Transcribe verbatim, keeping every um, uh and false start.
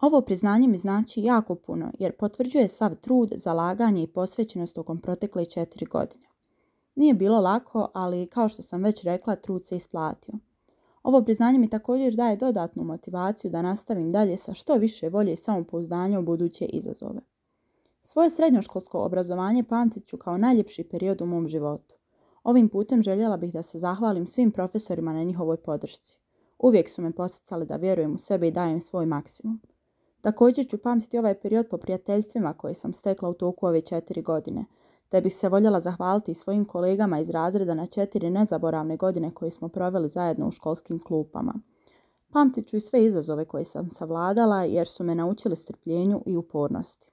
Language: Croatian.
Ovo priznanje mi znači jako puno jer potvrđuje sav trud, zalaganje i posvećenost tokom protekle četiri godine. Nije bilo lako, ali kao što sam već rekla, trud se isplatio. Ovo priznanje mi također daje dodatnu motivaciju da nastavim dalje sa što više volje i samopouzdanja u buduće izazove. Svoje srednjoškolsko obrazovanje pamtit ću kao najljepši period u mom životu. Ovim putem željela bih da se zahvalim svim profesorima na njihovoj podršci. Uvijek su me poticali da vjerujem u sebe i dajem svoj maksimum. Također ću pamtiti ovaj period po prijateljstvima koje sam stekla u toku ove četiri godine, te bih se voljela zahvaliti svojim kolegama iz razreda na četiri nezaboravne godine koje smo proveli zajedno u školskim klupama. Pamtit ću i sve izazove koje sam savladala jer su me naučili strpljenju i upornosti.